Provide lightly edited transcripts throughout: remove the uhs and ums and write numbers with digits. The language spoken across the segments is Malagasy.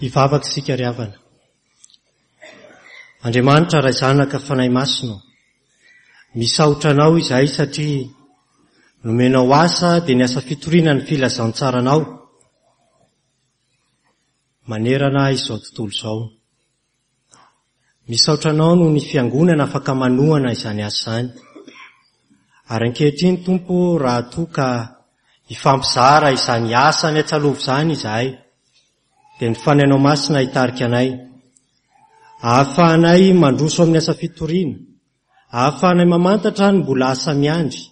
Hivavaka isika ry havana. Andriamanitra Ray Zanaka Fanahy Masina ô, misaotra Anao izahay satria nomenao asa dia ny asa fitoriana ny filazantsaranao manerana izao tontolo izao. Misaotra Anao noho ny Fiangonana afaka manohana izany asa izany. Ary ankehitriny Tompo raha toa ka hifampizara izany asa any Antsalova izany izahay dia ny Fanahinao Masina hitarika anay ahafahanay mandroso amin'ny asa fitoriana, ahafahanay mamantatra ny mbola asa miandry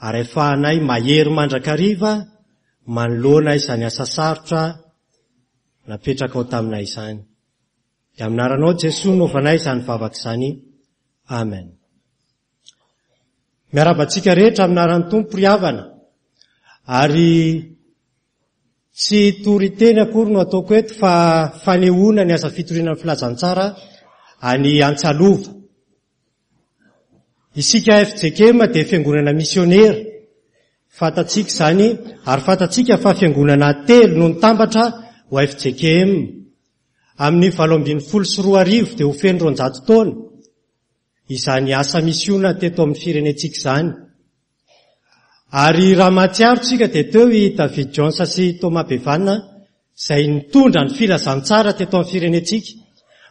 ary ahafahanay mahery mandrakariva manoloana izany asa sarotra napetrakao taminay izany. Dia amin'ny anaranao Jesoa no ovanay izany vavaka izany. Amen. Miarahaba antsika rehetra amin'ny anaran'ny Tompo ry havana. Ary tsy toriteny akory no ataoko eto fa fanehoana ny asa fitoriana ny filazantsara any Antsalova. Isika FJKM dia fiangonana misionera. Fantatsika izany ary fantatsika fa fiangonana telo no nitambatra ho FJKM. Amin'ny 2018 dia ho feno 200 taona izany asa misiona teto amin'ny firenentsika izany. Ary raha mahatsiaro tsika dia teo i David Jones sy Thomas Bevan izay nitondra ny filazantsara teto amin'ny firenentsika.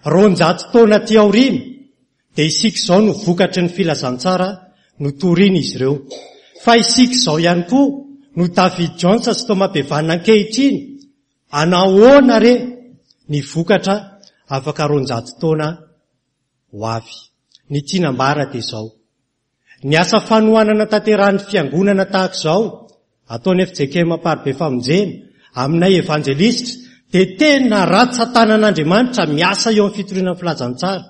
200 taona aty aoriana dia isika izao no vokatry ny filazantsara notorian'izy ireo. Fa isika izao ihany koa no David Jones sy Thomas Bevan ankehitriny. Anahoana re ny vokatra afaka 200 taona ho avy? Ny tiana ambara dia izao. Ny asa fanohanana tanterahin'ny Fiangonana tahaka izao, ataon'ny fjkm Amparibe Famonjena, aminay Evanjelistra, dia tena ratsan-tanan'Andriamanitra miasa eo amin'ny fitoriana ny filazantsara,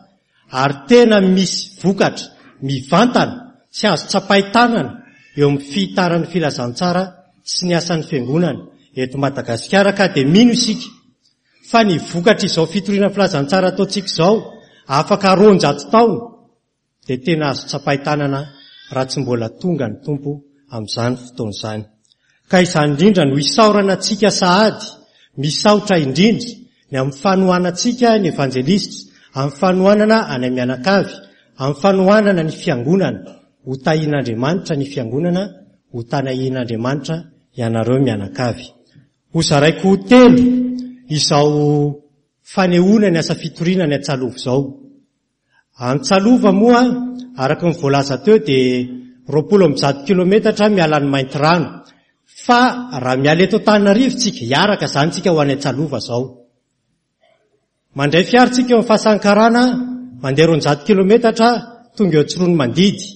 ary tena misy vokatra mivantana sy azo tsapain-tanana eo amin'ny fihitaran'ny filazantsara sy ny asan'ny Fiangonana eto Madagasikara ka dia mino isika fa ny vokatr'izao fitoriana ny filazantsara ataontsika izao afaka 200 taona dia tena azo tsapain-tanana raha tsy mbola tonga ny Tompo amin'izany fotoana izany. Ka izany indrindra no isaorana antsika sahady, misaotra indrindra ny amin'ny fanohanantsika ny evanjelistra, amin'ny fanohanana anay mianakavy, amin'ny fanohanana ny fiangonana, ho tahian'Andriamanitra ny fiangonana, ho tanahian'Andriamanitra ianareo mianakavy. Ho zaraiko ho telo izao fanehoana ny asa fitoriana ny Antsalova izao. Antsalova moa, araka ny voalaza teo dia 120 kilometatra miala an'i Maintirano. Fa raha miala eto Antananarivo tsika, hiaraka izany tsika ho any Antsalova izao. Mandray fiara tsika eo amin'ny Fasankarana, mandeha 200 kilometatra, tonga eo Tsiroanomandidy.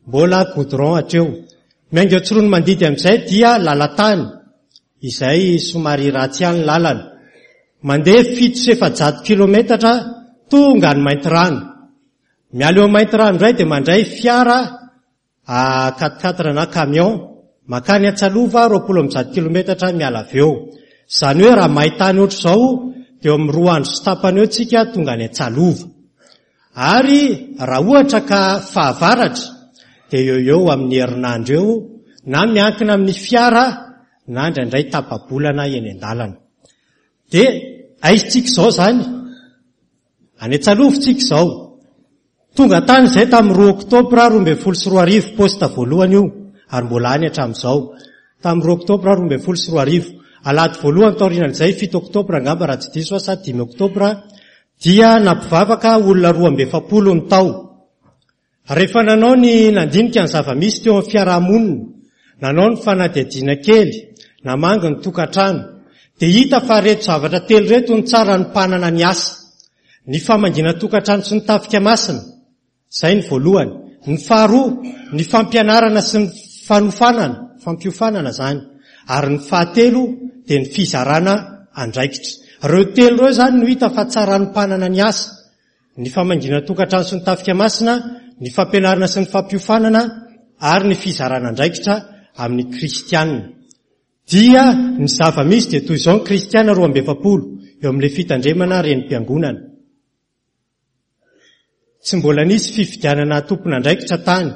Mbola goudron hatreo. Miainga eo Tsiroanomandidy amin'izay dia lalan-tany, izay somary ratsy ihany ny lalana. Mandeha 407 kilometatra tonga any Maintirano. Miala eo Maintirano indray dia mandray fiara a quatre quatre na camion makany Antsalova 120 kilometatra miala avy eo. Izany hoe raha main-tany ohatr'izao dia eo amin'ny roa andro sy tapany eo tsika tonga any Antsalova. Ary raha ohatra ka fahavaratra dia eo eo amin'ny herinandro eo na miankina amin'ny fiara na indraindray tapa-bolana eny an-dalana. Dia aiza tsika izao izany? Any Antsalova tsika izao. Tonga tany izay tamin'ny 2 oktobra 2012, poste voalohany io, ary mbola any hatramin'izao. Tamin'ny 2 oktobra 2012. Alahady voalohany taorianan'izay, 7 oktobra angamba raha tsy diso aho sa 5 oktobra, dia nampivavaka olona 42 ny tao. Rehefa nanao ny nandinika ny zava-misy teo amin'ny fiaraha-monina, nanao ny fanadihadiana kely, namangy ny tokantrano, dia hita fa ireto zavatra telo ireto no tsara hanompanana ny asa. Ny famangiana tokantrano sy ny tafika masina, izay ny voalohany. Ny faharoa, ny fampianarana sy ny fanofanana, fampiofanana izany. Ary ny fahatelo dia ny fizarana andraikitra. Ireo telo ireo izany no hita fa tsara hanompanana ny asa. Ny famangiana tokantrano sy ny tafika masina, ny fampianarana sy ny fampiofanana ary ny fizarana andraikitra amin'ny kristiana. Dia ny zava-misy dia toy izao ny kristiana 42 eo amin'ilay fitandremana renim-piangonana. Tsy mbola nisy fifidianana tompon'andraikitra tany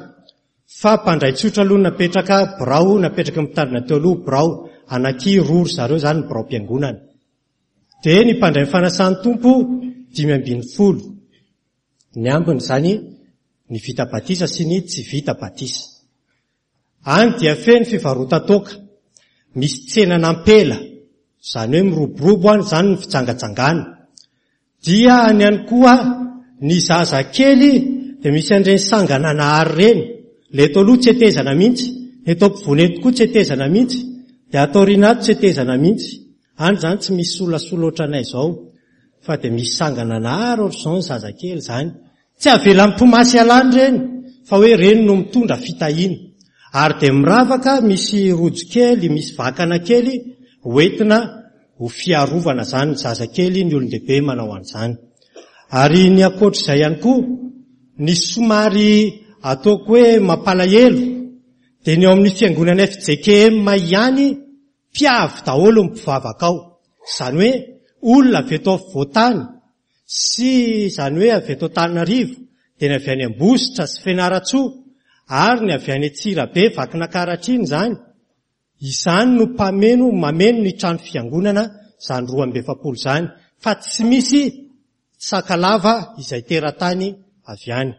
fa mpandray tsotra aloha napetraka birao napetraky ny mpitandrina teo aloha birao anaky roa ry zareo izany ny biraom-piangonana. Dia ny mpandray ny fanasan'ny Tompo 15. Ny ambiny izany ny vita batisa sy ny tsy vita batisa. Any dia feno fivarotan-toaka, misy tsenan'ampela, izany hoe miroborobo any izany ny fijangajangana. Dia any ihany koa ny zaza kely dia misy an'ireny sangananahary ireny, ilay eto aloha tsy hetezana mihitsy, ny eto ampovoany eto koa tsy hetezana mihitsy, dia ato aoriana ato tsy hetezana mihitsy. Any izany tsy misy solasola ohatranay izao, fa dia misy sangananahary ohatr'izao ny zazakely izany. Tsy avelan'ny mpimasy hialana ireny fa hoe ireny no mitondra fitahiana. Ary dia miravaka misy rojo kely, misy vakana kely hoentina ho fiarovana izany ny zazakely, ny olon-dehibe manao an'izany. Ary ny ankoatr'izay ihany koa, ny somary ataoko hoe mampalahelo dia ny ao amin'ny fiangonana fjkm ihany mpiavy daholo ny mpivavaka ao. Izany hoe olona avy eto afovoan-tany sy izany hoe avy eto Antananarivo dia ny avy any Ambositra sy Fianarantsoa ary ny avy any Antsirabe, Vakinakaratra iny izany. Izany no mpameno, mameno ny trano fiangonana izany 42 izany fa tsy misy Sakalava izay teratany avy any.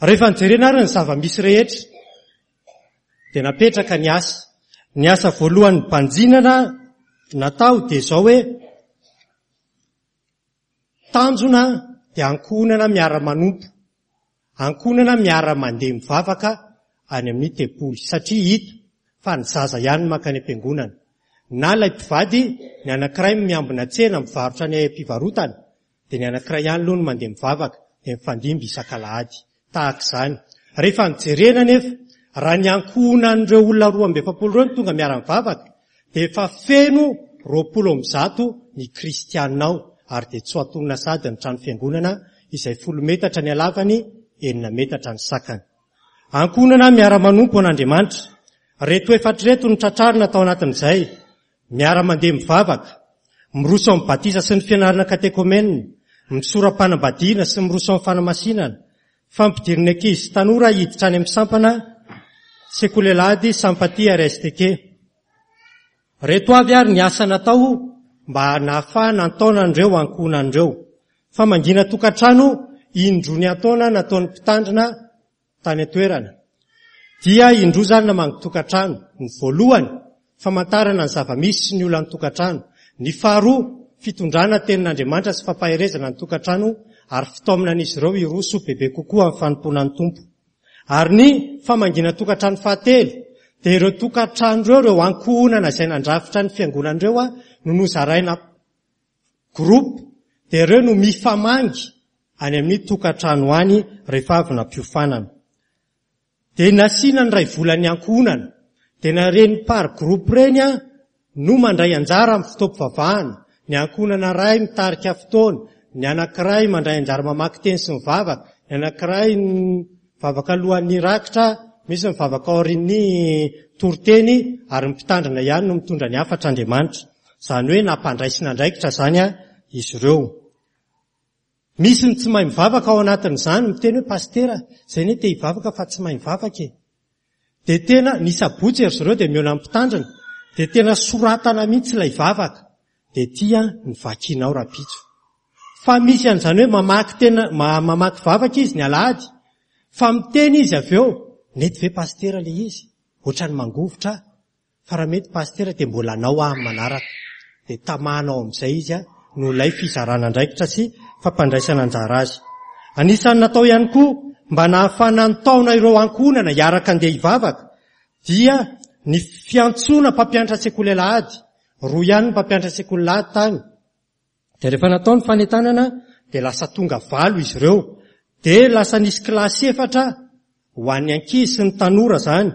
Rehefa nijerena ary ny zava-misy rehetra dia napetraka ny asa. Ny asa voalohany nibanjinana natao dia izao hoe tanjona dia ankohonana miara-manompo, ankohonana miara-mandeha mivavaka any amin'ny tempoly satria hita fa ny zaza ihany no mankany am-piangonana. Na ilay mpivady, ny anankiray miambina tsena mivarotra any am-pivarotana dia ny anankiray ihany aloha no mandeha mivavaka, dia mifandimby isak'alahady. Tahaka izany. Rehefa nojerena anefa, raha ny ankohonan'ireo olona 42 ireo no tonga miara-mivavaka, dia efa feno 120 ny kristiana ao, ary dia tsy ho antonona sahady ny trano fiangonana izay folo metatra ny halavany, enina metatra ny sakany. Ankohonana miara-manompo an'Andriamanitra. Ireto efatra ireto no tratrarina tao anatin'izay. Miara-mandeha mivavaka, miroso amin'ny batisa sy ny fianarana katekomena, misora-panambadiana sy miroso amin'ny fanamasinana, fampidirina ankizy sy tanora hiditra any amin'ny sampana Sekoly Alahady Sampati RSTK. Reto avy ary ny asa natao mba nahafahana nitaona an'ireo ankohonana ireo. Famangiana tokantrano indroa niantaona nataon'ny mpitandrina tany an-toerana. Dia indroa izany namangy tokantrano. Ny voalohany, famantarana ny zava-misy sy ny olan'ny tokantrano. Ny faharoa, fitondrana tenin'Andriamanitra sy fampaherezana ny tokantrano ary fitaomana an'izy ireo hiroso bebe kokoa amin'ny fanompoana ny Tompo. Ary ny famangiana tokantrano fahatelo, dia ireo tokantrano ireo, ireo ankohonana izay nandrafitra ny fiangonana ireo no nozaraina groupe dia ireo no mifamangy any amin'ny tokantrano any rehefa avy nampiofanana. Dia nasiana ny iray volan'ny ankohonana. Dia na ireny par groupe ireny no mandray anjara amin'ny fotoam-pivavahana. Ny ankohonana iray mitarika fotoana, ny anankiray mandray anjara mamaky teny sy mivavaka, ny anankiray mivavaka alohan'ny rakitra, misy mivavaka aorian'ny toriteny ary ny mpitandrina ihany no mitondra ny hafatr'Andriamanitra. Izany hoe nampandraisina andraikitra izany izy ireo. Misy ny tsy mahay mivavaka ao anatin'izany, miteny hoe pasitera, izay anie te hivavaka fa tsy mahay mivavaka e. Dia tena, ny sabotsy ry zareo dia mihaona amin'ny mpitandrina, dia tena soratana mihitsy ilay vavaka, dia ity ny vakinao rahampitso. Fa misy an'izany hoe mamaky tena, mamaky vavaka izy ny alahady, fa miteny izy avy eo, nety ve pasitera ilay izy? Ohatran'ny mangovitra aho. Fa raha mety Pasitera dia mbola anao aho amin'ny manaraka. Dia tamana ao amin'izay izy noho ilay fizarana andraikitra sy fampandraisana anjara azy. Anisan'ny natao ihany koa mba nahafahana nitaona ireo ankohonana hiaraka handeha hivavaka dia ny fiantsoana mpampianatra sekoly alahady. Roa ihany ny mpampianatra sekoly alahady tany. Dia rehefa natao ny fanentanana dia lasa tonga valo izy ireo. Dia lasa nisy kilasy efatra ho an'ny ankizy sy ny tanora izany.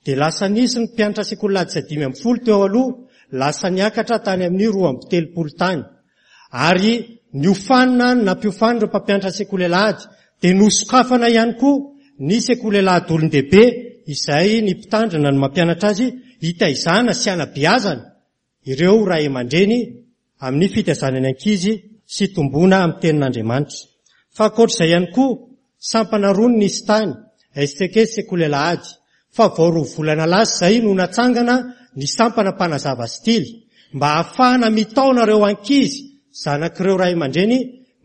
Dia lasa nisy ny mpianatra sekoly ladisa 15 teo aloha, lasa niakatra tany amin'ny 32 tany. Ary niofanina ny nampiofanina ireo mpampianatra sekoly alahady. Dia nosokafana ihany koa ny sekoly alahady olon-dehibe izay ny mpitandrina no mampianatra azy hitaizana sy hanabeazana ireo ray aman-dreny amin'ny fitaizana ny ankizy sy hitomboana amin'ny tenin'Andriamanitra. Fa ankoatr'izay ihany koa, sampana roa no nisy tany, STK sy Sekoly Alahady, fa vao roa volana lasa izay no natsangana ny sampana mpanazava sy tily. mba hahafahana mitaona ireo ankizy zanak'ireo ray aman-dreny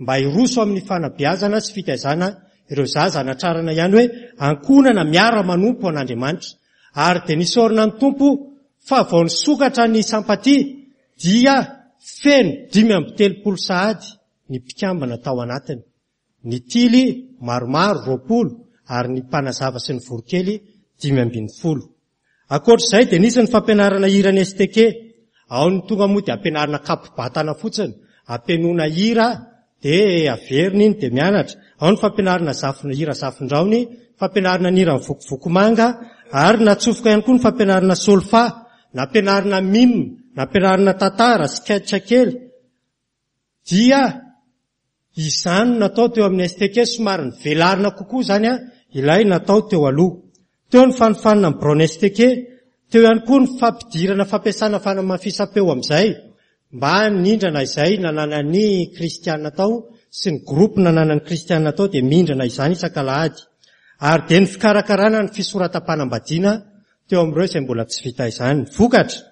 mba hiroso amin'ny fanabeazana sy fitaizana ireo zaza hanatrarana ihany hoe ankohonana miara-manompo an'Andriamanitra. Ary dia nisaorana ny Tompo fa vao nisokatra ny sampatia dia feno 35 sahady ny mpikambana tao anatiny. Ny tily maromaro 20 ary ny mpanazava sy ny voronkely 15. Ankoatra izay dia nisy ny fampianarana hira ny STK. Ao ny tonga moa dia ampianarina kapo-batana fotsiny, ampihainoana hira dia averina iny dia mianatra. Ao ny fampianarana zafin, hira zafindraony, fampianarana ny hiran'ny vokovoko manga ary natsofoka ihany koa ny fampianarana solfa, nampianarina mime, nampianarina tantara, sketch kely. Dia izany no natao teo amin'ny STK, somary nivelarina kokoa izany ilay natao teo aloha. Teo ny fanofanana ny biraon'ny STK, teo ihany koa ny fampidirana fampiasana fanamafisam-peo amin'izay mba nindrana izay nananan'ny kristiana tao sy ny groupe nananan'ny kristiana tao dia mindrana izany isak'alahady. Ary dia ny fikarakarana ny fisoratam-panambadiana teo amin'ireo izay mbola tsy vita izany. Vokatra,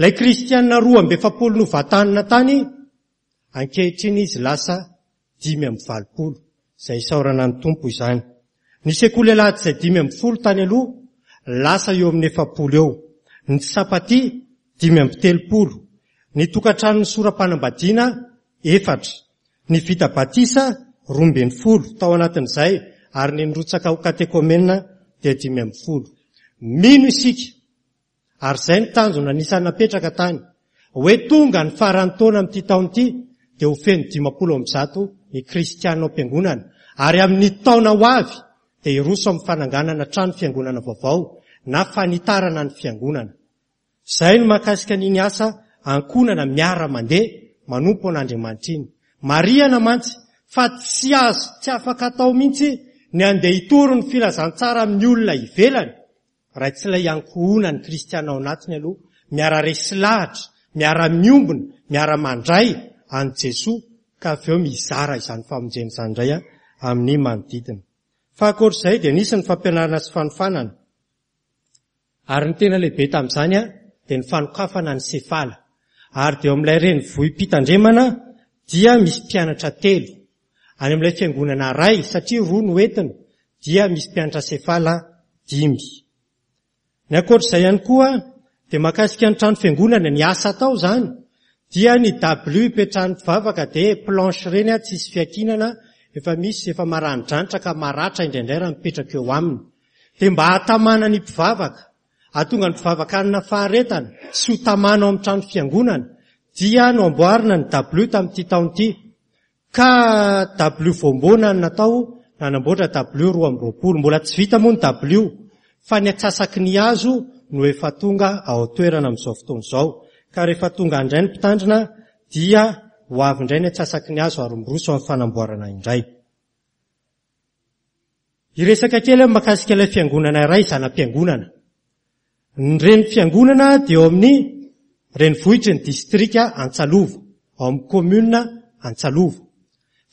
Ilay kristiana 42 novantanina tany, ankehitriny izy lasa 85, izay isaorana ny Tompo izany. Ny sekoly alahady izay 15 tany aloha, lasa eo amin'ny 40 eo. Ny sapaty 35. Ny tokantranon'ny sora-panambadiana efatra. Ny vita batisa 12 tao anatin'izay ary ny nirotsaka ho katekomena dia 15. Mino isika Ary izay no tanjona anisan'ny napetraka tany, hoe tonga ny faran'ny taona amin'ity taona ity dia ho feno 150 ny kristiana ao am-piangonana, ary amin'ny taona ho avy dia hiroso amin'ny fananganana trano fiangonana vaovao na fanitarana ny fiangonana. Izay no mahakasika an'iny asa ankohonana miara-mandeha manompo an'Andriamanitra iny. Marihana mantsy fa tsy azo, tsy afaka atao mihitsy ny handeha hitory ny filazantsara amin'ny olona ivelany Raha tsy ilay ankohonan'ny kristiana ao anatiny aloha, miara-resy lahatra, miara-miombona, miara-mandray an'i Jesoa ka avy eo mizara izany famonjena izany indray amin'ny manodidina. Fa ankoatr'izay dia nisy ny fampianarana sy fanofanana. Ary ny tena lehibe tamin'izany dia ny fanokafana ny sefala. Ary dia eo amin'ilay renivohi-pitandremana dia misy mpianatra telo. Any amin'ilay fiangonana iray, satria roa no entina, dia misy mpianatra sefala dimy. Ny ankoatr'izay ihany koa dia mahakasika ny trano fiangonana, ny asa atao izany dia ny dabilio ipetrahan'ny mpivavaka dia planche ireny tsisy fiankinana, efa misy efa maranidranitra ka maratra indraindray raha mipetraka eo aminy. Dia mba hahatamana ny mpivavaka, hahatonga ny mpivavaka hanana faharetana sy ho tamana ao amin'ny trano fiangonana dia noamboarina ny dabilio tamin'ity taona ity. Ka dabilio voamboana no natao nanamboatra dabilio 22. Mbola tsy vita moa ny dabilio fa ny antsasaky ny hazo no efa tonga ao an-toerana amin'izao fotoana izao. Ka rehefa tonga indray ny mpitandrina dia ho avy indray ny antsasaky ny hazo ary miroso amin'ny fanamboarana indray. Hiresaka kely aho mahakasika ilay fiangonana iray zana-piangonana. Ny renifiangonana dia eo amin'ny renivohitry ny distrika Antsalova, ao amin'ny commune Antsalova.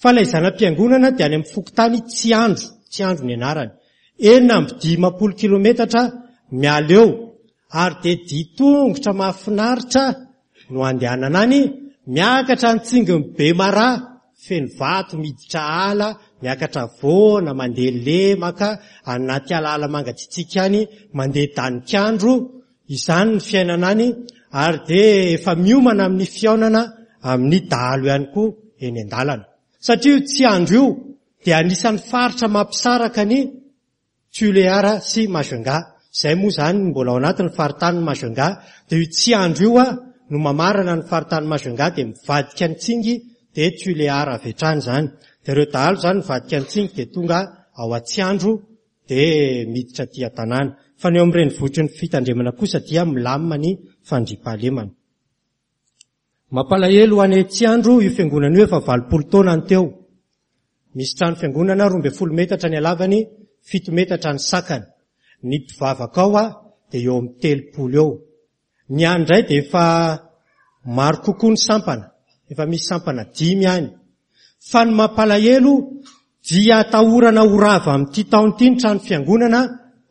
Fa ilay zana-piangonana dia any amin'ny fokontany Tsiandro, Tsiandro ny anarany. 56 kilometatra miala eo ary dia ditongotra mahafinaritra no andehanana any, miakatra ny tsingin'i Bemaraha, feno vato miditra ala, miakatra voana, mandeha lemaka, anaty alaala mangatsiatsiaka any, mandeha danik'andro, izany ny fiainana any, ary dia efa miomana amin'ny fihaonana amin'ny dahalo ihany koa eny an-dalana. Satria io Tsiandro io dia anisan'ny faritra mampisaraka ny Tuléar sy Majunga, izay moa izany mbola ao anatin'ny faritanin'i Majunga, dia io Tsiandro io no mamarana ny faritanin'i Majunga dia mivadika ny Tsingy dia Tuléar avy hatrany izany. Dia ireo dahalo izany mivadika ny Tsingy dia tonga ao Atsiandro dia miditra aty an-tanàna. Fa ny eo amin'ny renivohitry ny fitandremana kosa dia milamina ny fandriampahalemana. Mampalahelo ho any Tsiandro io fiangonana io efa 80 taona ny teo. Misy trano fiangonana 12 metatra ny halavany, 7 metatra ny sakany. Ny mpivavaka ao dia eo amin'ny 30 eo. Ny any indray dia efa maro kokoa ny sampana, efa misy sampana dimy any. Fa ny mampalahelo dia atahorana ho rava amin'ity taona ity ny trano fiangonana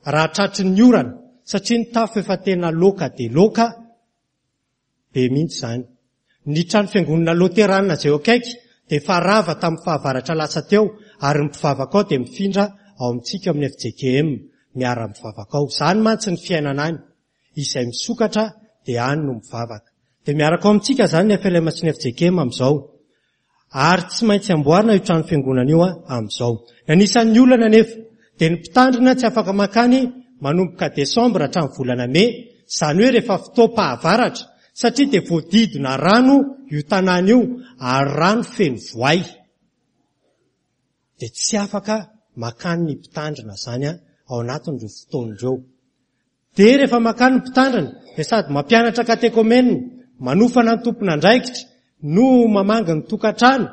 raha tratry ny orana satria ny tafo efa tena loaka dia loaka. be mihitsy izany. Ny trano fiangonana loterana izay eo akaiky dia efa rava tamin'ny fahavaratra lasa teo ary ny mpivavaka ao dia mifindra ao amintsika ao amin'ny fjkm, miara-mivavaka ao. Izany mantsy ny fiainana any. Izay misokatra dia any no mivavaka. Dia miaraka ao amintsika izany ny FLM sy ny fjkm amin'izao. Ary tsy maintsy amboarina io trano fiangonana io amin'izao. Ny anisan'ny olana anefa dia ny mpitandrina tsy afaka mankany manomboka desambra hatramin'ny volana mey, izany hoe rehefa fotoam-pahavaratra, satria dia voadidina rano io tanàna io ary rano feno voay. Dia tsy afaka makany ny mpitandrina izany ao anatin'ireo fotoana ireo. Dia rehefa makany ny mpitandrina dia sady mampianatra katekomenina, manofana ny tompon'andraikitra no mamangy ny tokantrano.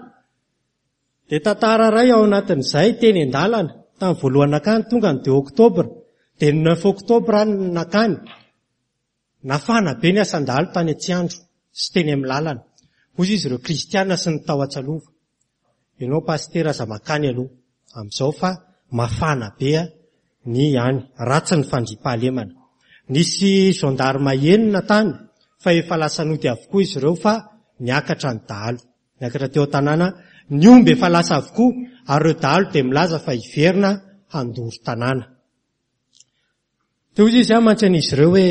Dia tantara iray ao anatin'izay teny an-dalana, tamin'ny voalohany nakany tonga ny deux octobre, dia ny neuf octobre aho no nakany. Nafana be ny asan-dahalo tany Antsiandro sy teny amin'ny lalana. Hoy izy ireo kristiana sy ny tao Antsalova, Ianao pasitera aza makany aloha amin'izao fa mafana be ny any, ratsy ny fandriampahalemana. Nisy gendarme enina tany fa efa lasa nody avokoa izy ireo fa niakatra ny dahalo. Niakatra teo an-tanàna, ny omby efa lasa avokoa ary ireo dahalo dia milaza fa hiverina handoro tanàna. Dia hoy izy mantsy an'izy ireo hoe,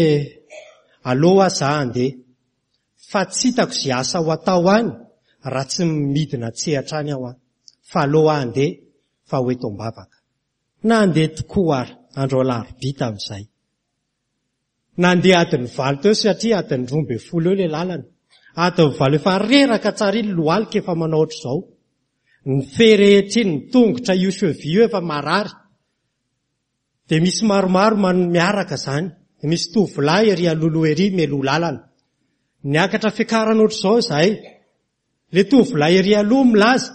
Aleo hoa za handeha, fa tsy hitako izay asa ho atao any raha tsy midina an-tsehatra any aho an! Fa aleo aho handeha fa ho eto am-bavaka. Nandeha tokoa ary, andro alarobia tamin'izay. Nandeha adiny valo teo satria adiny 12 eo ilay lalana. Adiny valo efa reraka tsara iny lohalika efa manao ohatr'izao. Ny fe rehetra iny, ny tongotra io cheville io efa marary. Dia misy maromaro miaraka izany. Dia misy tovolahy ery alohaloha ery mialoha lalana. Niakatra fiakarana ohatr'izao izahay. Ilay tovolahy ery aloha milaza,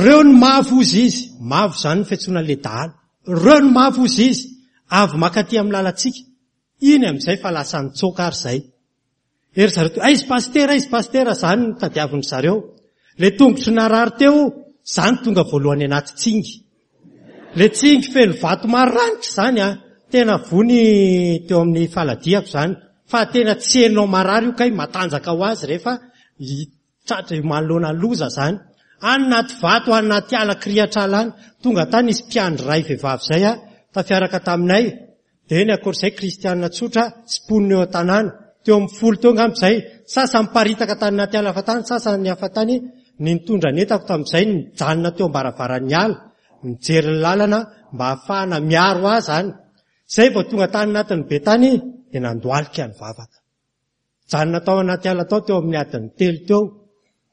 reo ny mavo hozy izy. Mavo izany ny fiantsoana an'ilay dahalo. Reo ny mavo hozy izy. Avy mankaty amin'ny lalantsika. Iny amin'izay fa lasa nitsoaka ary izay. Ery zareo teo, aiza pasitera, aiza pasitera, zany no tadiavin-dry zareo. Le tongotro narary teo, zany tonga voalohany anaty tsingy. Le tsingy feno vato maranitra zany an, tena vony teo amin'ny faladiako zany. Fa tena tsy henonao marary io kay, matanjaka ho azy rehefa tratra manoloana loza zany. Any anaty vato, any anaty ala kirihatr'ala any. Tonga tany nisy mpiandry iray vehivavy zay an, tafiaraka taminay. Dia eny ankoatr'izay kristiana tsotra sy mponina eo an-tanàna, teo amin'ny folo teo angamba izay, sasany niparitaka tany anaty ala hafa tany, sasany hafa tany, ny nitondra ny entako tamin'izay nijanona teo am-baravaran'ny ala, nijery ny lalana mba hahafahana miaro ahy izany. Izay vao tonga tany anatin'ny be tany dia nandohalika nivavaka. Nijanona tao anaty ala tao teo amin'ny adiny telo teo.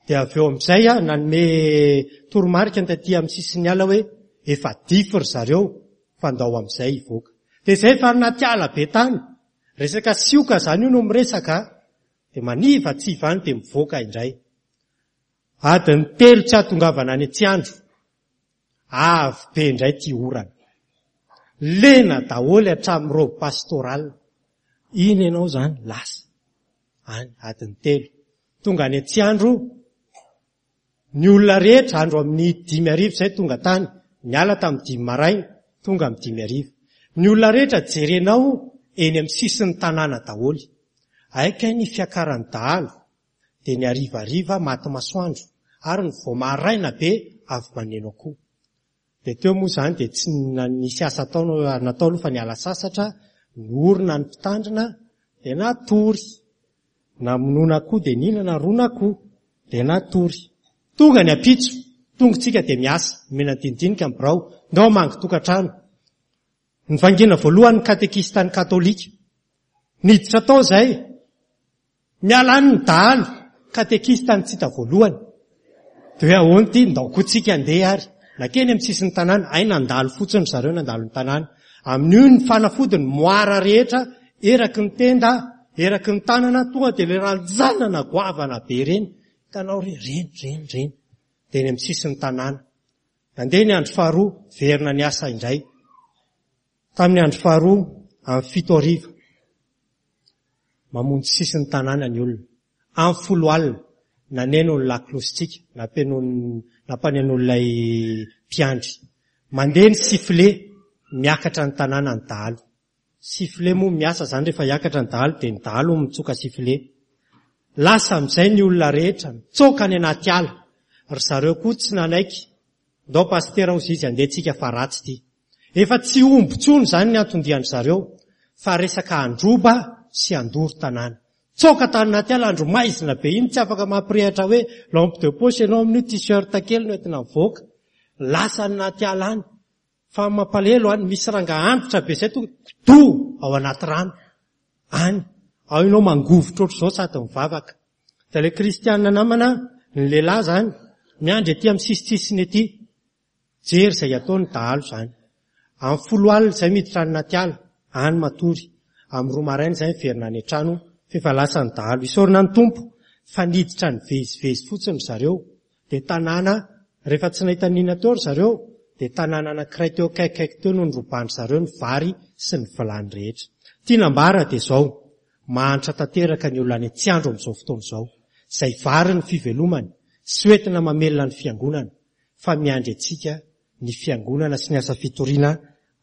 Dia avy eo amin'izay aho nanome toromarika ny taty amin'ny sisin'ny ala hoe efa dify ry zareo fa ndao amin'izay hivoaka. Dia izay efa anaty ala be tany. Resaka sioka izany io no miresaka. Dia manivatsiva any dia mivoaka indray. Adiny telo tsy hahatongavana any Antsiandro. Avy be indray ity orana. Lena daholo hatramin'ny robe pastorale. Iny ianao izany lasa. Any adiny telo. Tonga any Antsiandro, ny olona rehetra andro amin'ny 5 arivo izay tonga tany, niala tamin'ny dimy maraina, tonga amin'ny 5 arivo. Ny olona rehetra jerenao eny amin'ny sisin'ny tanàna daholo. Hay kay ny fiakaran'ny dahalo dia ny harivariva maty masoandro ary ny vao maraina be avy maneno akoho. Dia teo moa izany dia tsy nisy asa atao natao aloha fa niala sasatra, niorina ny mpitandrina dia natory. Namonoana akoho dia nihinana ron'akoho dia natory. Tonga ny ampitso, tonga tsika dia miasa, nomena dinidinika ny birao, ndao hamangy tokantrano. Nivaingina voalohany ny katekistan'ny katolika. Niditra tao izay. Miala any ny dahalo, katekista no tsy hita voalohany. Dia hoe ahoana ity, ndao koa tsika andeha ary. Nankeny amin'ny sisin'ny tanàna, hay nandalo fotsiny ry zareo nandalo ny tanàna. Amin'io ny fanafody ny moara rehetra, eraky ny tenda, eraky ny tanana, tonga dia ilay ranjanana goavana be ireny. Hitanao re, ireny, ireny, ireny. Dia eny amin'ny sisin'ny tanàna. Nandeha ny andro faharoa, verina niasa indray. Tamin'ny andro faharoa, amin'ny fito hariva, mamonjy sisin'ny tanàna ny olona. Amin'ny folo alina, naneno ny lakolosintsika, nampanenoan'ilay mpiandry. Mandeha ny sifflet, miakatra ny tanàna ny dahalo. Sifflet moa miasa izany rehefa hiakatra ny dahalo dia ny dahalo mitsoka sifflet. Lasa amin'izay ny olona rehetra, nitsoaka any anaty ala. Ry zareo koa tsy nanaiky. Ndao pasitera hozy izy andeha tsika fa ratsy ity. Efa tsy omby intsony izany ny anton-dian-dry zareo fa resaka handroba sy handoro tanàna. Tsoaka tany anaty ala andro maizina be iny tsy afaka mampirehatra hoe lampe de poche ianao amin'io t-shirt kely no entina mivoaka. Lasa any anaty ala any. Fa mampalelo any misy rangaha antitra be izay tonga kidoa ao anaty rano any. Ao ianao mangovitra ohatr'izao sady mivavaka. Dia ilay kristiana namana, ny lehilahy izany, miandry ety amin'ny sisintsisiny ety. Jery izay ataony dahalo izany. Amin'ny folo alina izay miditra any anaty ala, any matory. Amin'ny roa maraina izay miverina any an-trano f'efa lasa ny dahalo. Isaorana ny Tompo fa niditra nivezivezy fotsiny ry zareo. Dia tanàna, rehefa tsy nahita n'inona teo ry zareo, dia tanàna anankiray teo akaikikaiky teo no noroban-dry zareo ny vary sy ny vilany rehetra. Tiana ambara dia izao, mahantra tanteraka ny olona any Antsiandro amin'izao fotoana izao. Izay vary ny fivelomany sy hoentina mamelona ny fiangonana. fa miandry antsika ny fiangonana sy ny asa fitoriana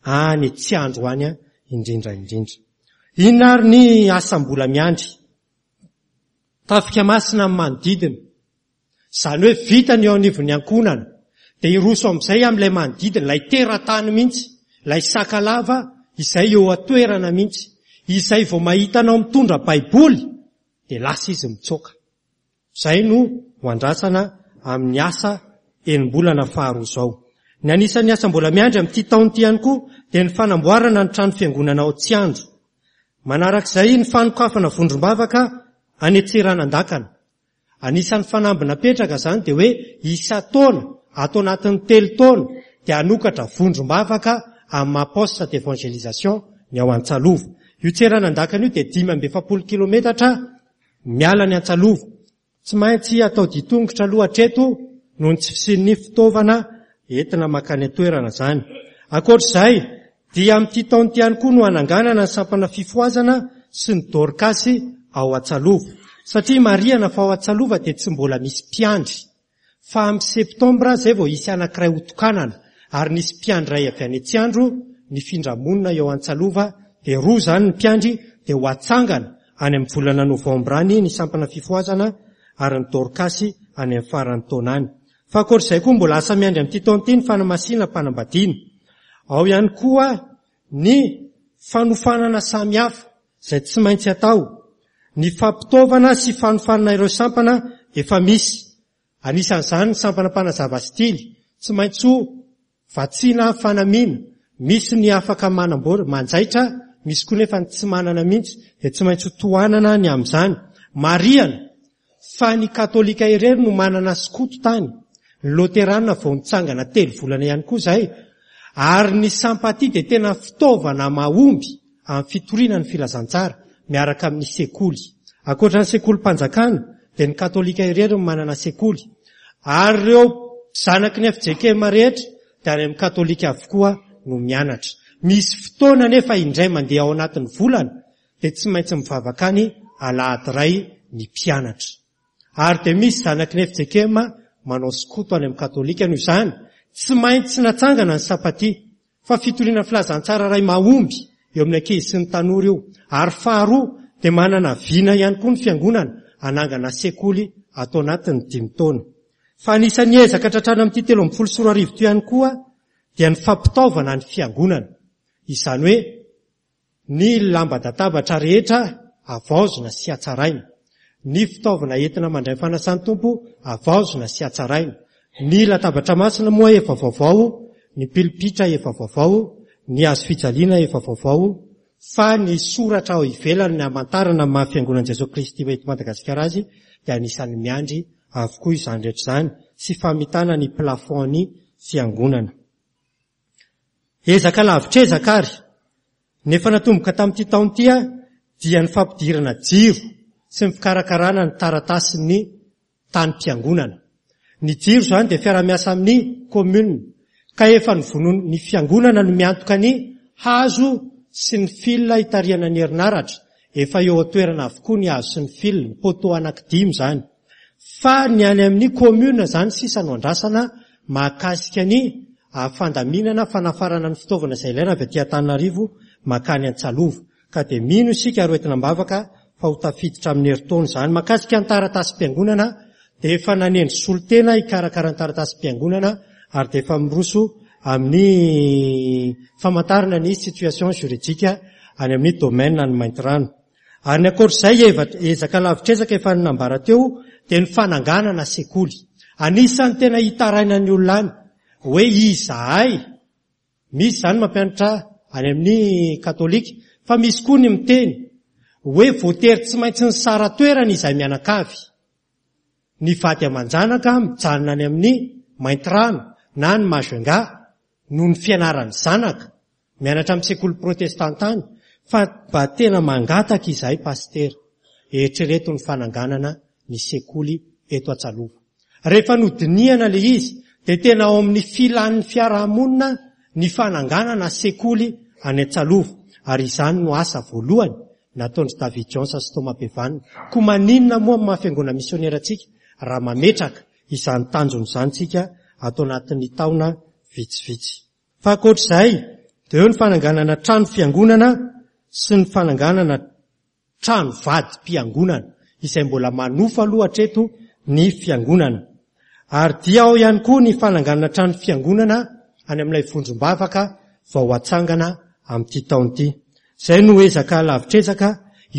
any tsy andro any indrindra indrindra. Inona ary ny asa mbola miandry? Tafika masina amin'ny manodidina. Izany hoe vita ny eo anivon'ny ankohonana, dia hiroso amin'izay amin'ilay manodidina, ilay teratany mihitsy, ilay sakalava izay eo an-toerana mihitsy. Izay vao mahita anao mitondra Baiboly, dia lasa izy mitsoaka. Izay no ho andrasana amin'ny asa enim-bolana faharoa izao. Ny anisan'ny asa mbola miandry amin'ity taona ity ihany koa dia ny fanamboarana ny trano fiangonana ao Tsiandro. Manarak'izay ny fanokafana vondrom-bavaka any Antsiranandakana. Anisan'ny fanamby napetraka izany dia hoe isan-taona, ato anatin'ny telo taona, dia hanokatra vondrom-bavaka amin'ny maha poste d'evangelisation ny ao Antsalova. Io Tsiranandakana io dia 45 kilometatra Miala ny Antsalova. Tsy maintsy atao ditongotra aloha hatreto noho ny tsy fisian'ny fitaovana entina mankany an-toerana izany. Ankoatra izay, dia amin'ity taona ity ihany koa no hananganana ny sampana fifohazana sy ny Dorkasy ao Antsalova. Satria marihana fa ao Antsalova dia tsy mbola misy mpiandry. Fa amin'ny septambra izay vao hisy anankiray hotokanana ary nisy mpiandry iray avy any Antsiandro nifindra monina eo Antsalova dia roa izany ny mpiandry dia ho atsangana any amin'ny volana novambra any ny sampana fifohazana ary ny Dorkasy any amin'ny faran'ny taona any. Fa ankoatr'izay koa mbola asa miandry amin'ity taona ity ny fanamasinam-panambadiana. Ao ihany koa ny fanofanana samihafa izay tsy maintsy atao, ny fampitaovana sy fanofanana ireo sampana efa misy, anisan'izany ny sampana mpanazava stily, tsy maintsy ho vatsiana fanamiana, misy ny afaka manamboatra, manjaitra, misy koa nefa ny tsy manana mihitsy, dia tsy maintsy ho tohanana ny amin'izany. Marihana fa ny katolika irery no manana skoto tany, ny loterana vao nitsangana telo volana ihany koa izay, ary ny sampatia dia tena fitaovana mahomby amin'ny fitoriana ny filazantsara miaraka amin'ny sekoly. Ankoatra ny sekolim-panjakana dia ny katolika irery no manana sekoly, ary ireo zanaky ny fjkm rehetra dia any amin'ny katolika avokoa no mianatra. Misy fotoana anefa indray mandeha ao anatin'ny volana dia tsy maintsy mivavaka any alahady iray ny mpianatra. Ary dia misy zanaky ny fjkm manao skoto any amin'ny katolika noho izany tsy maintsy natsangana ny sapatia fa fitoriana filazantsara iray mahomby eo amin'ny ankizy sy ny tanora io. Ary faharoa dia manana vina ihany koa ny fiangonana hanangana sekoly ato anatin'ny dimy taona. Fa anisan'ny ezaka tratrana amin'ity 2013 ity ihany koa dia ny fampitaovana ny fiangonana. Izany hoe Ny lamba-databatra rehetra havaozina sy hatsaraina. Ny fitaovana entina mandray fanasan'ny Tompo havaozina sy hatsaraina. Ny latabatra masina moa efa vaovao, ny pilipitra efa vaovao, ny hazo fijaliana efa vaovao, fa ny soratra ao ivelany ny hamantarana ny maha Fiangonan'i Jesoa Kristy eto Madagasikara azy dia anisan'ny miandry avokoa izany rehetra izany sy famitana ny plafond-ny Fiangonana. Ezaka lavitr'ezaka ary ny efa natomboka tamin'ity taona ity dia ny fampidirana jiro sy ny fikarakarana ny taratasin'ny tanim-piangonana. Ny jiro izany dia fiara-miasa amin'ny commune ka efa novonoin'ny ny fiangonana no miantoka ny hazo sy ny fil hitarihana ny herinaratra, efa eo an-toerana avokoa ny hazo sy ny fil, ny poteau anankidimy izany. Fa ny any amin'ny commune izany sisa no andrasana mahakasika ny fandaminana fanafarana ny fitaovana izay ilaina avy aty Antananarivo mankany Antsalova. Ka dia mino isika ary hoentina am-bavaka Fa ho tafiditra amin'ny herintaona izany. Mahakasika ny taratasim-piangonana dia efa nanendry solontena hikarakara ny taratasim-piangonana ary dia efa miroso amin'ny famantarana ny situation juridique any amin'ny domaine any Maintirano. Ary ny ankoatr'izay ezaka lavitr'ezaka efa nambara teo dia ny fananganana sekoly. Anisan'ny tena hitarainan'ny olona any hoe izahay Misy izany mampianatra any amin'ny katolika, fa misy koa ny miteny hoe voatery tsy maintsy nisara-toerana izahay mianakavy. Ny vady aman-janaka mijanona any amin'ny Maintirano na any Majunga noho ny fianaran'ny zanaka, mianatra amin'ny sekoly protestanta any, fa mba tena mangataka izahay pasitera, eritrereto ny fananganana ny sekoly eto Antsalova. Rehefa nodinihana ilay izy dia tena ao amin'ny filan'ny fiarahamonina ny fananganana sekoly any Antsalova ary izany no asa voalohany nataon-dry David Jones sy Thomas Bevan. Koa maninona moa amin'ny maha fiangonana misionera antsika raha mametraka izany tanjona izany isika ato anatin'ny taona vitsivitsy. Fa ankoatr'izay dia eo ny fananganana trano fiangonana sy ny fananganana trano vadim-piangonana izay mbola manofa aloha hatreto ny fiangonana. Ary dia ao ihany koa ny fananganana trano fiangonana any amin'ilay vondrom-bavaka vao hatsangana amin'ity taona ity. Izay no ezaka lavitr'ezaka,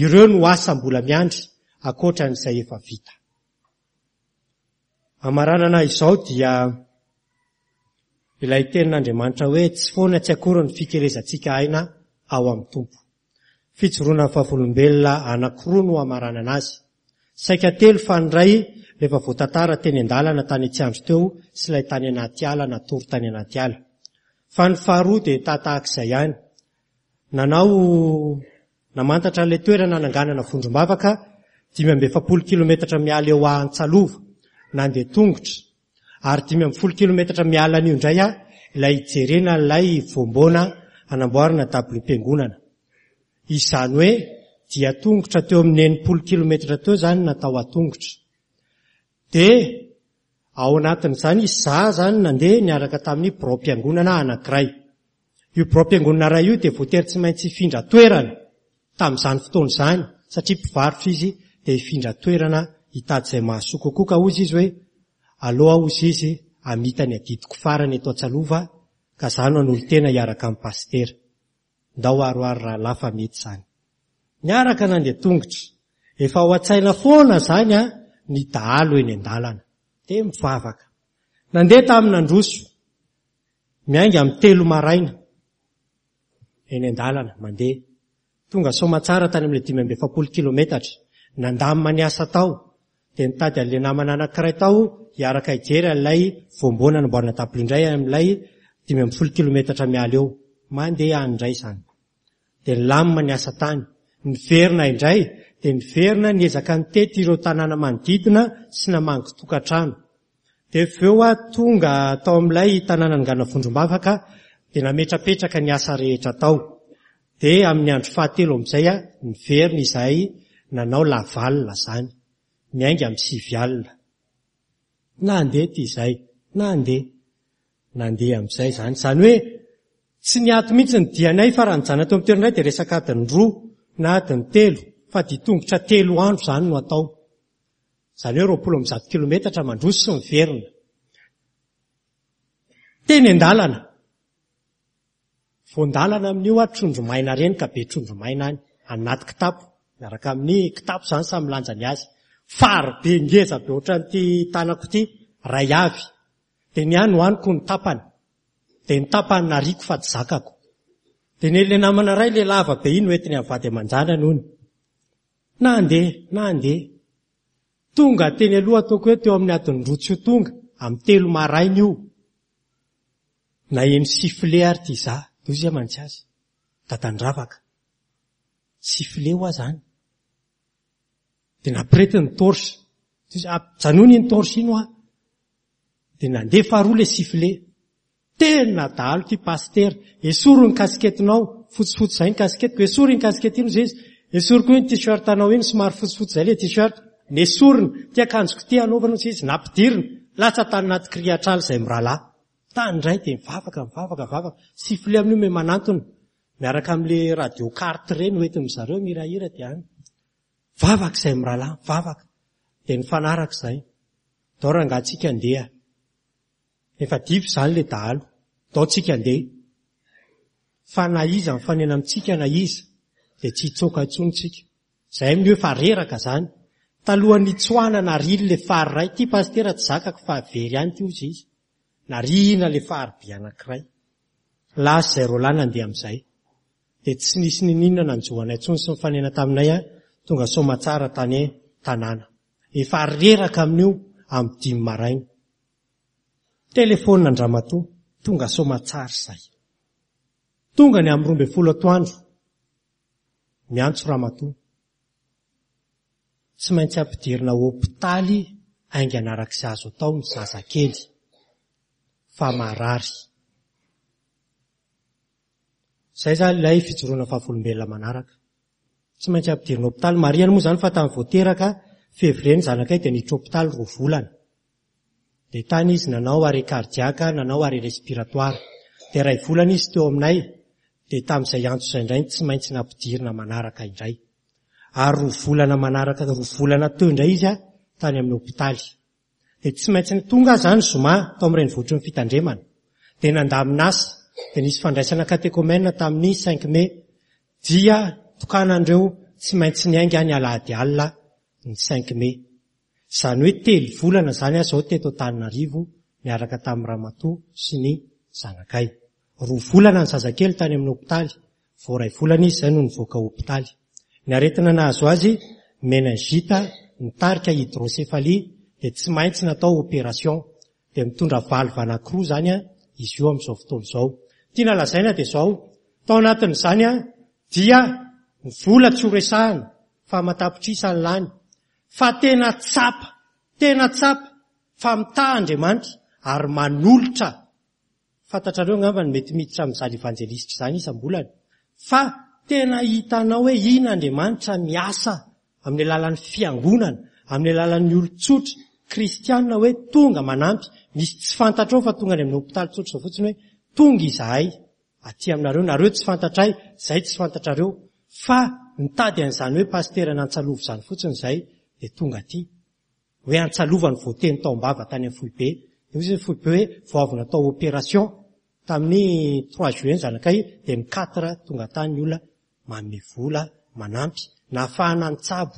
ireo no asa mbola miandry ankoatra an'izay efa vita. Hamaranana izao dia ilay tenin'Andriamanitra hoe tsy foana tsy akory ny fikelezantsika aina ao amin'ny Tompo. Fijoroana vavolombelona anankiroa no hamaranana azy. Saika telo fa ny iray rehefa voatantara teny an-dalana tany Tsiandro teo sy ilay tany anaty ala natory tany anaty ala. Fa ny faharoa dia tahatahak'izay ihany. Nanao namantatra ilay toerana nananganana vondrom-bavaka 45 kilometatra miala eo Antsalova, nandeha tongotra. Ary 15 kilometatra miala an'io indray aho ilay hijerena ilay voamboana hanamboarana dabiliom-piangonana. Izany hoe dia tongotra teo amin'ny 60 kilometatra teo izany natao an-tongotra. Dia ao anatin'izany izaho izany nandeha niaraka tamin'ny biraom-piangonana anankiray. Io biraom-piangonana iray io dia voatery tsy maintsy hifindra toerana tamin'izany fotoana izany satria mpivarotra izy dia hifindra toerana hitady izay mahasoa kokoa ka hozy izy hoe aleo aho hozy izy hamita ny adidiko farany eto Antsalova ka za no hanolo-tena hiaraka amin'i Pasitera. Ndao aro ary rahalahy fa mety izany. Niaraka nandeha tongotra. Efa ao an-tsaina foana izany an ny dahalo eny an-dalana. Dia mivavaka. Nandeha tamin'ny nandroso. Miainga amin'ny telo maraina. Eny an-dalana, mandeha. Tonga soamatsara tany amin'ilay 45 kilometatra. Nandamina ny asa tao. Dia nitady an'ilay namana anankiray tao hiaraka hijery an'ilay voamboana namboarina dabilio indray amin'ilay 15 kilometatra miala eo. Mandeha any indray izany. Dia nilamina ny asa tany. Niverina indray, dia niverina niezaka nitety ireo tanàna manodidina sy namangy tokantrano. Dia avy eo aho tonga tao amin'ilay tanànan'i Vondrombavaka dia nametrapetraka ny asa rehetra tao. Dia amin'ny andro fahatelo amin'izay aho niverina izahay nanao Laval izany, miainga amin'ny sivy alina. Nandeha ity izahay, nandeha. Nandeha amin'izay izany. Izany hoe tsy niato mihitsy ny dianay fa raha nijanona teo amin'ny toerana iray dia resaka adiny roa na adiny telo fa dia tongotra telo andro izany no atao. Izany hoe 120 kilometatra mandroso sy miverina. Teny an-dalana. Voan-dalana amin'io aho trondro maina ireny ka be trondro maina any anaty kitapo miaraka amin'ny kitapo izany samy milanja ny azy. Fary be ngeza be ohatran'ity tanako ity, iray avy. Dia ny ahy nohaniko ny tapany. Dia ny tapany nariako fa tsy zakako. Dia nen'ilay namana iray ilay lava be iny hoentiny amin'ny vady aman-janany hono. Nandeha, nandeha. Tonga teny aloha ataoko hoe teo amin'ny adiny roa tsy ho tonga, amin'ny telo maraina io. Naheno sifflet ary ty za, de hoy zay mantsy azy, Dadandravaka, sifflet hoa zany. De nampiretiny ny torche, de hoy izy, ajanony iny torche iny hoa. De nandeha faharoa le sifflet. Tena dahalo ty pasitera, esory ny casquette-nao, fotsifotsy zay ny casquette-ko, esory iny casquette iny hoy izy, esory koa iny t-shirt-nao iny, somary fotsifotsy zay le t-shirt, nesorina, ty akanjoko ty anaovana hoy izy, nampidirina, latsa tany anaty kirihatr'ala izay mirahalahy. Tany indray dia mivavaka, mivavaka, mivavaka. Sifflet amin'io me manantona. Miaraka amin'le radio carte ireny hoentin-dry zareo mihirahira dia any. Vavaka izay mirahalahy, vavaka. Dia nifanaraka izay. Dao rangaha tsika andeha. Efa dify izany ilay dahalo. Dao tsika andeha. Fa na iza mifanena amintsika na iza dia tsy hitsoaka intsony tsika. Zay amin'io efa reraka zany. Talohan'ny nitsoahana narily le fary iray, ty pasitera tsy zakako fa very any ty ozy izy. Narihina le fary be anankiray. Lasa izay roalahy nandeha amin'izay. Dia tsy nisy niniana nanjo anay intsony sy nifanena taminay an, tonga soamatsara tany tanàna. Efa reraka amin'io amin'ny dimy maraina. Telephone an-dramatoa, tonga soamatsara izay. Tonga ny amin'ny 12 atoandro. Miantso ramatoa. Tsy maintsy ampidirina hopitaly haingana araka izay azo atao ny zazakely fa marary. Izay izany ilay fijoroana vavolombelona manaraka. Tsy maintsy ampidirina hopitaly. Marihana moa izany fa tamin'ny vao teraka février ny zanakay dia niditra hopitaly roa volana. Dia tany izy nanao arrêt cardiaque, nanao arrêt respiratoire. Dia iray volana izy teo aminay, dia tamin'izay antso izay indray no tsy maintsy nampidirina manaraka indray. Ary roa volana manaraka, roa volana teo indray izy tany amin'ny hopitaly. Dia tsy maintsy tonga aho izany zoma tao amin'ny renivohitry ny fitandremana. Dia nandamina asa, dia nisy fandraisana catéchomène tamin'ny cinq mai. Dia tokanan'ireo tsy maintsy niainga ny alahady alina ny cinq mai. Izany hoe telo volana izany aho izao teto Antananarivo niaraka tamin'ny ramatoa sy ny zanakay. Roa volana ny zazakely tany amin'ny hopitaly, vao iray volana izy izay no nivoaka hopitaly. Ny aretina nahazo azy, meningite, nitarika hydrocéphalie, dia tsy maintsy natao opération. Dia mitondra valve anankiroa izany izy io amin'izao fotoana izao. Tiana lazaina dia izao, tao anatin'izany dia ny vola tsy ho resahina fa aman-tapitrisa ny lany, Fa tena tsapa, tena tsapa fa mitaha Andriamanitra ary manolotra. Fantatrareo angamba ny mety miditra amin'izany evanjelistra izany isam-bolana. Fa tena hitanao hoe iny Andriamanitra miasa amin'ny alalan'ny fiangonana, amin'ny alalan'ny olon-tsotra, kristiana hoe tonga manampy. Misy tsy fantatrao fa tonga any amin'ny hopitaly tsotra izao fotsiny hoe tonga izahay. aty aminareo, nareo tsy fantatray, zay tsy fantatrareo, fa nitady an'izany hoe pasitera n'Antsalova izany fotsiny izay dia tonga aty. Hoe Antsalova no voateny tao am-bava tany amin'ny foibe. Dia hoy izy ny foibe hoe vao avy natao opération tamin'ny trois juillet ny zanakay dia ny quatre tonga tany ny olona manome vola, manampy, nahafahana nitsabo.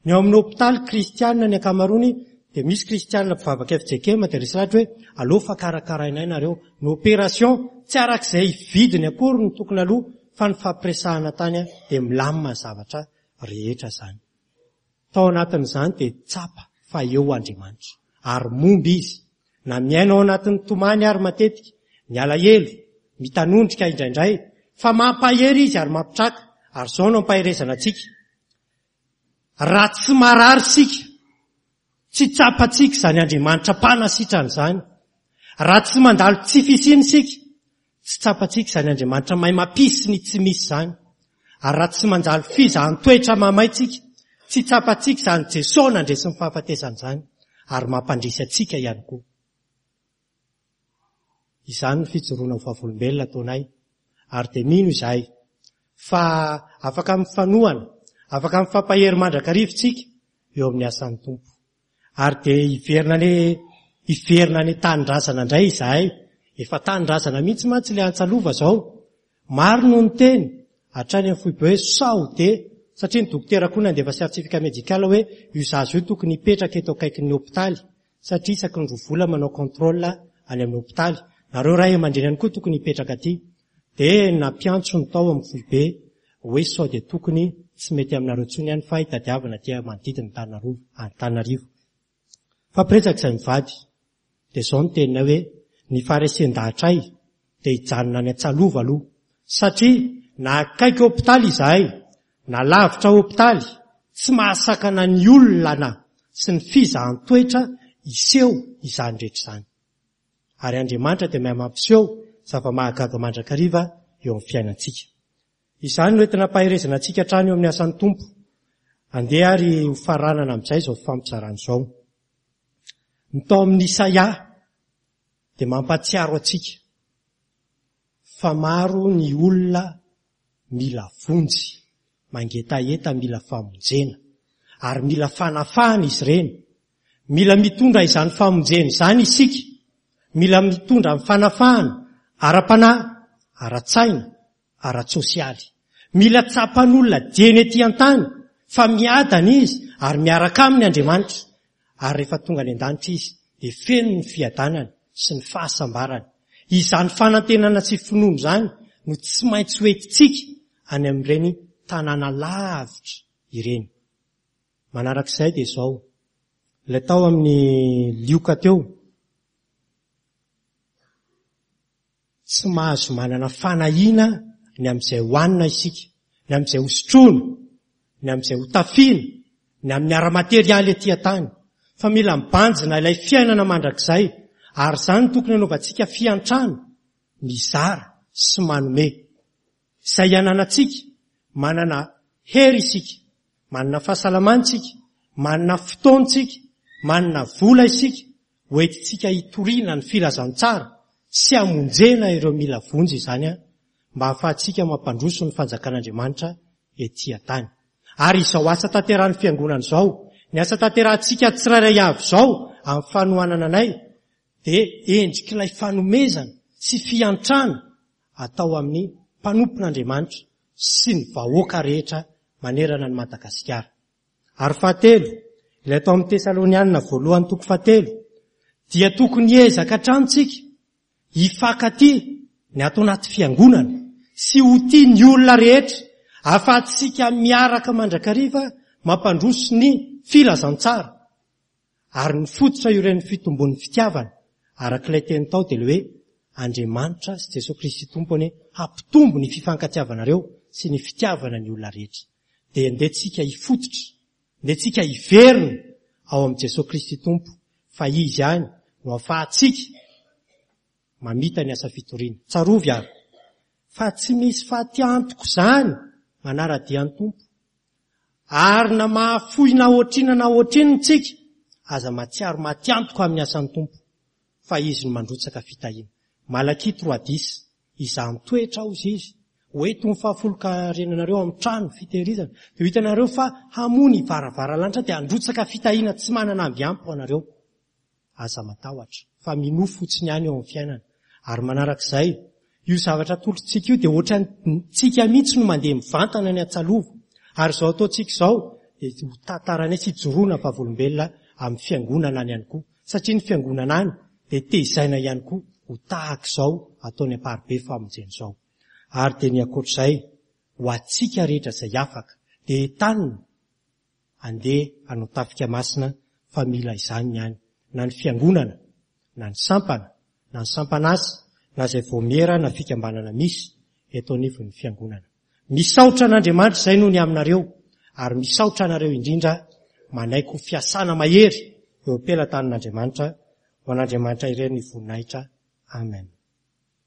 Ny ao amin'ny hopitaly kristianina ny ankamaroany dia misy kristianina mpivavaka fjkm dia resy lahatra hoe aleo fa karakarainay nareo. Ny opération tsy arak'izay vidiny akory no tokony aloha fa ny fampiresahana tany dia milamina ny zavatra rehetra izany. Tao anatin'izany dia tsapa fa eo Andriamanitra ary momba Izy. Na miaina ao anatin'ny tomany ary matetika, ny alahelo, mitanondrika indraindray, fa mampahery Izy ary mampitraka, ary izao no ampaherezana antsika, Raha tsy marary isika, tsy tsapantsika izany Andriamanitra mpanasitrana izany. Raha tsy mandalo tsy fisiana isika, tsy tsapantsika izany Andriamanitra mahay mampisy ny tsy misy izany. Ary raha tsy mandalo fizahan-toetra mahamay tsika, tsy tsapantsika izany Jesoa nandresy ny fahafatesana izany ary mampandresy antsika ihany koa. Izany no fijoroana ho vavolombelona ataonay ary dia mino izahay fa afaka mifanohana, afaka mifampahery mandrakariva isika eo amin'ny asan'ny Tompo. Ary dia hiverina any hiverina any an-tanindrazana indray izahay. Efa tanindrazana mihitsy mantsy ilay Antsalova izao. Maro no niteny hatrany amin'ny foibe hoe sao dia, satria ny dokotera koa nandefa certificat médical hoe io zaza io tokony hipetraka eto akaikin'ny hopitaly satria isaky ny roa vola manao contrôle any amin'ny hopitaly. Nareo ray aman-dreny ihany koa tokony hipetraka aty. Dia nampiantso ny tao amin'ny foibe hoe sao dia tokony tsy mety aminareo intsony ihany fa hitadiavana aty manodidina Antananarivo. Fampiresaka izay mivady. Dia izao no teninay hoe ny faharesen-dahatray dia hijanona any Antsalova aloha satria na akaiky hopitaly izahay na lavitra hopitaly tsy mahasakana ny olana sy ny fizahan-toetra hiseho izany rehetra izany. Ary Andriamanitra dia mahay mampiseho zava-mahagaga mandrakariva eo amin'ny fiainantsika. Izany no entina ampaherezana antsika hatrany eo amin'ny asan'ny Tompo. Andeha ary ho faranana amin'izay izao fifampizarana izao. Ny tao amin'ny Isaia dia mampahatsiaro antsika fa maro ny olona mila vonjy, mangetaheta mila famonjena. Ary mila fanafahana izy ireny. Mila mitondra izany famonjena izany isika. Mila mitondra ny fanafahana ara-panahy, ara-tsaina, ara-tsosialy. Mila tsapan'olona dieny ety an-tany fa miadana izy ary miaraka aminy Andriamanitra. Ary rehefa tonga any an-danitra izy dia feno ny fiadanany sy ny fahasambarany. Izany fanantenana sy finoana izany no tsy maintsy ho entintsika any amin'ireny tanàna lavitra ireny. Manarak'izay dia izao, ilay tao amin'ny Lioka teo, Tsy mahazo manana fanahiana ny amin'izay hohanina isika, ny amin'izay hosotroina, ny amin'izay hotafiana, ny amin'ny ara-materialy ety an-tany, fa mila mibanjina ilay fiainana mandrakizay, ary izany no tokony hanaovantsika fiantrana, mizara sy manome. Izay ananantsika, manana hery isika, manana fahasalamana isika, manana fotoana isika, manana vola isika, Hoentintsika hitoriana ny filazantsara sy hamonjena ireo mila vonjy izany mba hahafahantsika mampandroso ny fanjakan'Andriamanitra ety an-tany. Ary izao asa tanterahin'ny Fiangonana izao, ny asa tanterahintsika tsirairay avy izao amin'ny fanohanana anay dia endrik'ilay fanomezana sy fiantrana atao amin'ny mpanompon'Andriamanitra sy ny vahoaka rehetra manerana an'i Madagasikara. Ary fahatelo, ilay tao amin'ny Tesalonianina voalohany toko fahatelo, dia tokony hiezaka hatrany tsika hifankatia ny ato anaty fiangonana sy ho tia ny olona rehetra ahafahantsika miaraka mandrakariva mampandroso ny filazantsara. Ary ny fototra ioren'ny fitombon'ny fitiavana, araka ilay teny tao dia ilay hoe Andriamanitra sy Jesoa Kristy Tompo anie hampitombo ny fifankatiavanareo sy ny fitiavana ny olona rehetra. Dia ndeha tsika hifototra, ndeha tsika hiverina ao amin'i Jesoa Kristy Tompo fa Izy ihany no afahantsika mamita ny asa fitoriana. Tsarovy ary fa tsy misy fatiantoka izany manara-dia ny Tompo. Ary na mahafoy na ohatrina na ohatrinona tsika, aza mahatsiaro matiantoka amin'ny asan'ny Tompo, fa Izy no mandrotsaka fitahiana. Malakia 3 10, Izaho mitoetra hozy Izy, ho eto ny fahafolonkarenanareo amin'ny trano fitehirizana, dia ho hitanareo fa hamoha ny varavaran'ny dia handrotsaka fitahiana tsy manana amby ampy ho anareo. Aza matahotra, fa minoa fotsiny ihany eo amin'ny fiainana. Ary manarak'izay, io zavatra atolotritsika io dia ohatran'ny tsika mihitsy no mandeha mivantana any Antsalova. Ary izao ataontsika izao dia ho tantaranay sy hijoroana vavolombelona amin'ny fiangonana any ihany koa. Satria ny fiangonana any dia tezaina ihany koa ho tahaka izao ataony Amparibe famonjena izao. Ary dia ny ankoatr'izay, ho antsika rehetra izay afaka, dia entanina Andeha hanao tafika masina fa mila izany ny any, na ny fiangonana, na ny sampana, na ny sampan'asa, na izay vaomiera na fikambanana misy eto anivon'ny fiangonana. Misaotra an'Andriamanitra izay noho ny aminareo, ary misaotra anareo indrindra manaiky ho fiasana mahery eo am-pelatanan'Andriamanitra, ho an'Andriamanitra irery ny voninahitra. Amen.